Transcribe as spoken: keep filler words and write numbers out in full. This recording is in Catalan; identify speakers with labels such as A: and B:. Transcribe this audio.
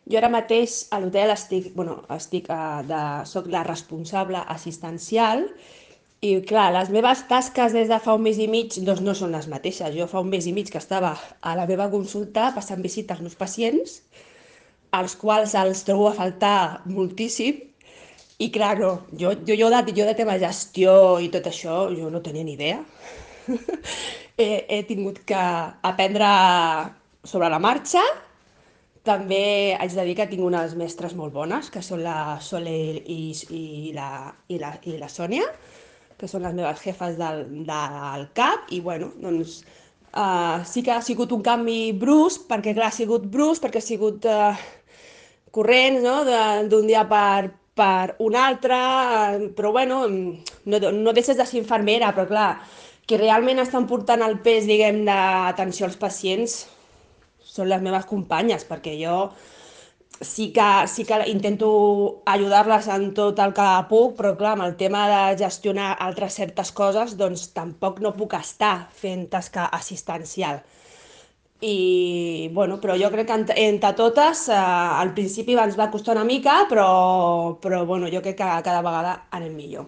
A: Jo ara mateix a l'hotel estic, bueno, estic eh, de, soc la responsable assistencial i clar, les meves tasques des de fa un mes i mig doncs no són les mateixes. Jo fa un mes i mig que estava a la meva consulta passant visita als meus pacients, als quals els trobo a faltar moltíssim. I clar, no, jo, jo, jo, de, jo de tema gestió i tot això, jo no tenia ni idea. he, he tingut que aprendre sobre la marxa. També haig de dir que tinc unes mestres molt bones, que són la Sole i, i, la, i, la, i la Sònia, que són les meves jefes del, del CAP, i bueno, doncs uh, sí que ha sigut un canvi brusc, perquè clar, ha sigut brusc, perquè ha sigut uh, corrents, no?, de- d'un dia per, per un altre, eh, però bueno, no, no deixes de ser infermera, però clar, qui realment estan portant el pes, diguem, d'atenció als pacients són les meves companyes, perquè jo sí que, sí que intento ajudar-les en tot el que puc, però clar, amb el tema de gestionar altres certes coses, doncs tampoc no puc estar fent tasca assistencial. I, bueno, però jo crec que entre, entre totes, eh, al principi ens va costar una mica, però, però bueno, jo crec que cada vegada anem millor.